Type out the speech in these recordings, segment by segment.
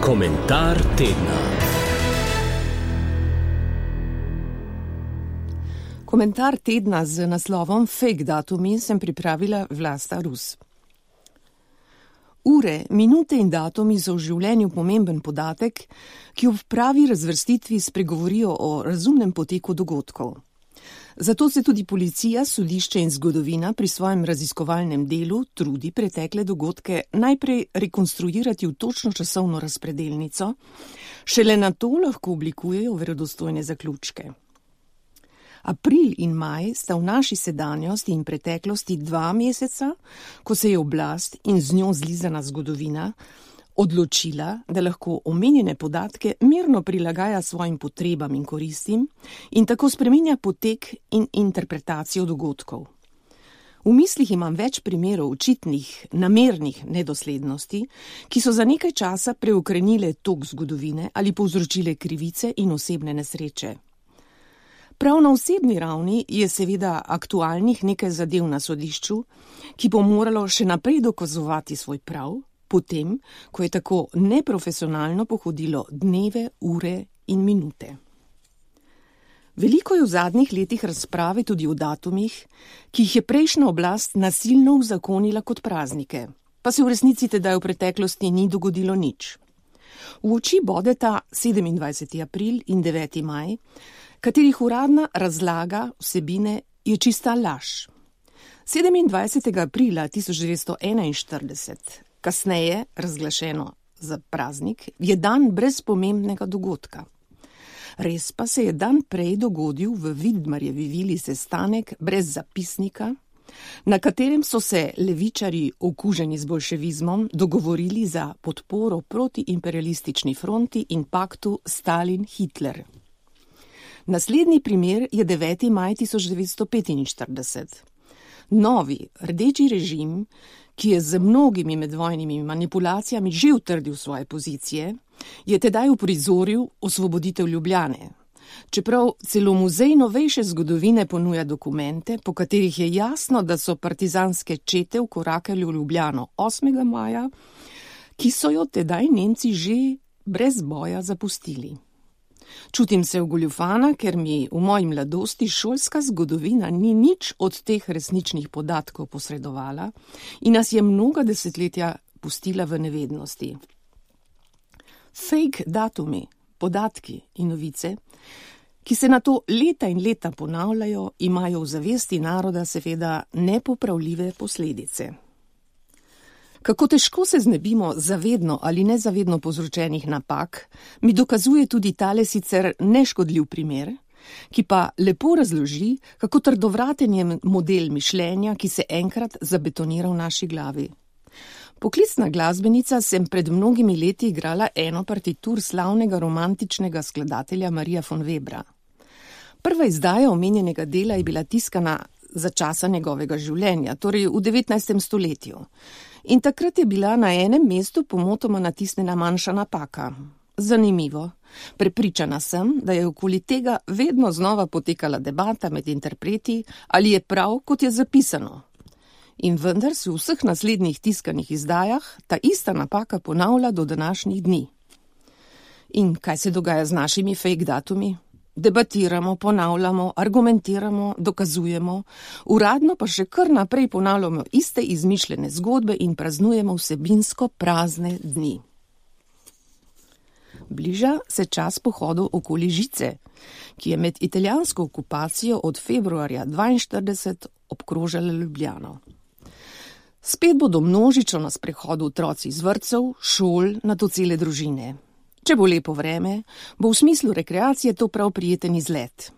Komentar tedna. Komentar tedna z naslovom Fake datumi sem pripravila Vlasta Rus. Ure, minute in datumi so v življenju pomemben podatek, ki ob pravi razvrstitvi spregovorijo o razumnem poteku dogodkov. Zato se tudi policija, sodišče in zgodovina pri svojem raziskovalnem delu trudi pretekle dogodke najprej rekonstruirati v točno časovno razpredelnico, šele nato lahko oblikujejo verodostojne zaključke. April in maj sta v naši sedanjosti in preteklosti 2 meseca, ko se je oblast in z njo zlizana zgodovina odločila, da lahko omenjene podatke mirno prilagaja svojim potrebam in koristim in tako spreminja potek in interpretacijo dogodkov. V mislih imam več primerov očitnih, namernih nedoslednosti, ki so za nekaj časa preokrenile tok zgodovine ali povzročile krivice in osebne nesreče. Prav na osebni ravni je seveda aktualnih nekaj zadev na sodišču, ki bo moralo še naprej dokazovati svoj prav, potem, ko je tako neprofesionalno pohodilo dneve, ure in minute. Veliko je v zadnjih letih razprave tudi o datumih, ki jih je prejšnja oblast nasilno uzakonila kot praznike, pa se v resnici tedaj v preteklosti ni dogodilo nič. V oči bodeta 27. april in 9. maj, katerih uradna razlaga vsebine je čista laž. 27. aprila 1941, kasneje razglašeno za praznik, je dan brez pomembnega dogodka. Res pa se je dan prej dogodil v Vidmarjevi vili sestanek brez zapisnika, na katerem so se levičarji, okuženi z bolševizmom, dogovorili za podporo proti imperialistični fronti in paktu Stalin-Hitler. Naslednji primer je 9. maj 1945. Novi, rdeči režim, ki je z mnogimi medvojnimi manipulacijami že utrdil svoje pozicije, je tedaj uprizoril osvoboditev Ljubljane. Čeprav celo muzej novejše zgodovine ponuja dokumente, po katerih je jasno, da so partizanske čete vkorakali v Ljubljano 8. maja, ki so jo tedaj Nemci že brez boja zapustili. Čutim se ogoljufana, ker mi v moji mladosti šolska zgodovina ni nič od teh resničnih podatkov posredovala in nas je mnoga desetletja pustila v nevednosti. Fake datumi, podatki in novice, ki se nato leta in leta ponavljajo, imajo v zavesti naroda seveda nepopravljive posledice. Kako težko se znebimo zavedno ali nezavedno povzročenih napak, mi dokazuje tudi tale sicer neškodljiv primer, ki pa lepo razloži, kako trdovraten je model mišljenja, ki se enkrat zabetonira v naši glavi. Poklicna glasbenica sem pred mnogimi leti igrala eno partitur slavnega romantičnega skladatelja Marija von Webra. Prva izdaja omenjenega dela je bila tiskana za časa njegovega življenja, torej v 19. stoletju. In takrat je bila na enem mestu pomotoma natisnjena manjša napaka. Zanimivo. Prepričana sem, da je okoli tega vedno znova potekala debata med interpreti, ali je prav, kot je zapisano. In vendar se v vseh naslednjih tiskanih izdajah ta ista napaka ponavlja do današnjih dni. In kaj se dogaja z našimi fake datumi? Debatiramo, ponavljamo, argumentiramo, dokazujemo, uradno pa še kar naprej ponavljamo iste izmišljene zgodbe in praznujemo vsebinsko prazne dni. Bliža se čas pohodov okoli Žice, ki je med italijansko okupacijo od februarja 1942 obkrožala Ljubljano. Spet bodo množično na sprehodu otroci iz vrtcev, šol, nato cele družine. Če bo lepo vreme, bo v smislu rekreacije to prav prijeten izlet.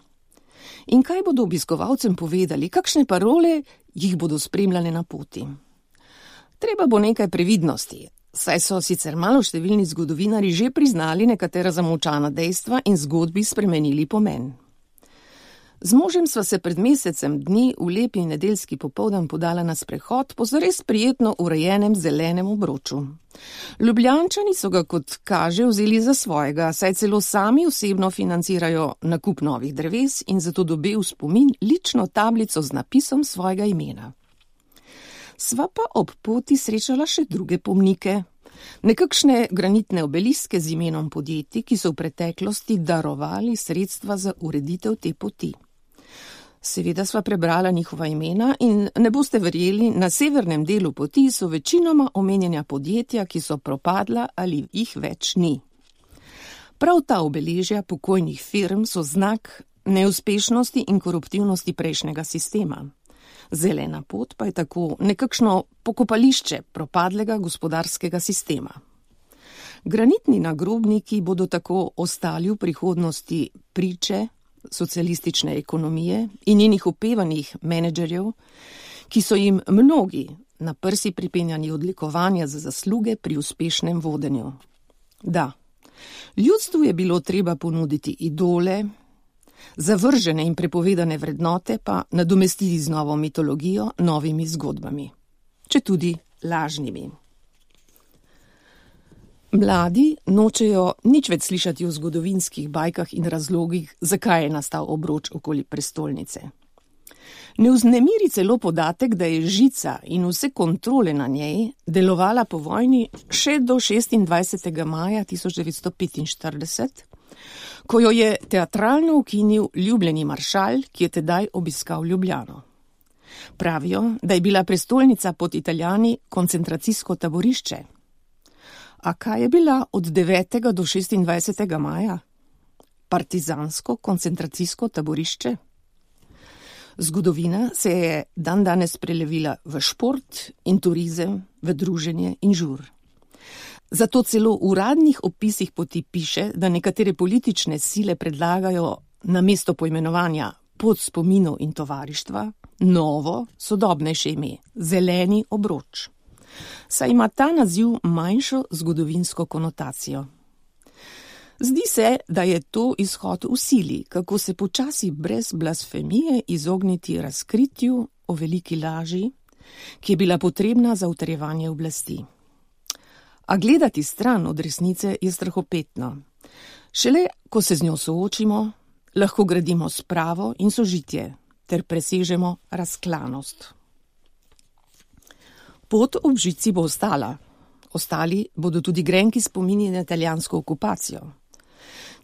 In kaj bodo obiskovalcem povedali, kakšne parole jih bodo spremljale na poti? Treba bo nekaj previdnosti, saj so sicer maloštevilni zgodovinarji že priznali nekatera zamolčana dejstva in zgodbi spremenili pomen. Z možem sva se pred mesecem dni v lepi nedeljski popoldan podala na sprehod po zares prijetno urejenem zelenem obroču. Ljubljančani so ga, kot kaže, vzeli za svojega, saj celo sami osebno financirajo nakup novih dreves in zato dobil v spomin lično tablico z napisom svojega imena. Sva pa ob poti srečala še druge pomnike. Nekakšne granitne obeliske z imenom podjetij, ki so v preteklosti darovali sredstva za ureditev te poti. Seveda sva prebrala njihova imena in ne boste verjeli, na severnem delu poti so večinoma omenjena podjetja, ki so propadla ali jih več ni. Prav ta obeležja pokojnih firm so znak neuspešnosti in koruptivnosti prejšnjega sistema. Zelena pot pa je tako nekakšno pokopališče propadlega gospodarskega sistema. Granitni nagrobniki bodo tako ostali v prihodnosti priče socialistične ekonomije in njenih opevanih menedžerjev, ki so jim mnogi na prsi pripenjani odlikovanja za zasluge pri uspešnem vodenju. Da, ljudstvu je bilo treba ponuditi idole, zavržene in prepovedane vrednote pa nadomestiti z novo mitologijo, novimi zgodbami, četudi lažnimi. Mladi nočejo nič več slišati o zgodovinskih bajkah in razlogih, zakaj je nastal obroč okoli prestolnice. Ne vznemiri celo podatek, da je žica in vse kontrole na njej delovala po vojni še do 26. maja 1945, ko jo je teatralno ukinil ljubljeni maršal, ki je tedaj obiskal Ljubljano. Pravijo, da je bila prestolnica pod Italijani koncentracijsko taborišče. A kaj je bila od 9. do 26. maja? Partizansko koncentracijsko taborišče? Zgodovina se je dandanes prelevila v šport in turizem, v druženje in žur. Zato celo v uradnih opisih poti piše, da nekatere politične sile predlagajo namesto poimenovanja pot spominov in tovarištva novo, sodobnejše ime, zeleni obroč. Saj ima ta naziv manjšo zgodovinsko konotacijo. Zdi se, da je to izhod v sili, kako se počasi brez blasfemije izogniti razkritju o veliki laži, ki je bila potrebna za utrjevanje oblasti. A gledati stran od resnice je strahopetno. Šele, ko se z njo soočimo, lahko gradimo spravo in sožitje ter presežemo razklanost. Pot ob žici bo ostala. Ostali bodo tudi grenki spomini na italijansko okupacijo.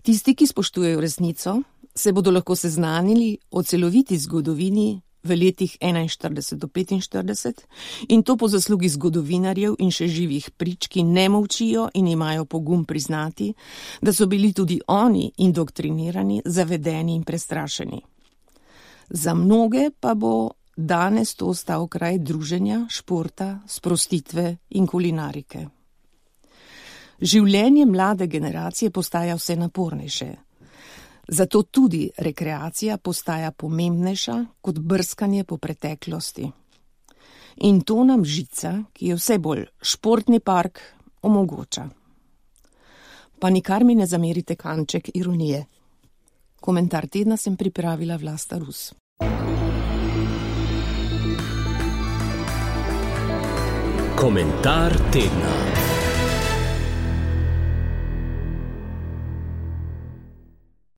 Tisti, ki spoštujejo resnico, se bodo lahko seznanili o celoviti zgodovini v letih 41 do 45 in to po zaslugi zgodovinarjev in še živih prič, ki ne molčijo in imajo pogum priznati, da so bili tudi oni indoktrinirani, zavedeni in prestrašeni. Za mnoge pa bo danes to ostal kraj druženja, športa, sprostitve in kulinarike. Življenje mlade generacije postaja vse napornejše. Zato tudi rekreacija postaja pomembnejša kot brskanje po preteklosti. In to nam žica, ki je vse bolj športni park, omogoča. Pa nikar mi ne zamerite kanček ironije. Komentar tedna sem pripravila Vlasta Rus. Komentar tedna.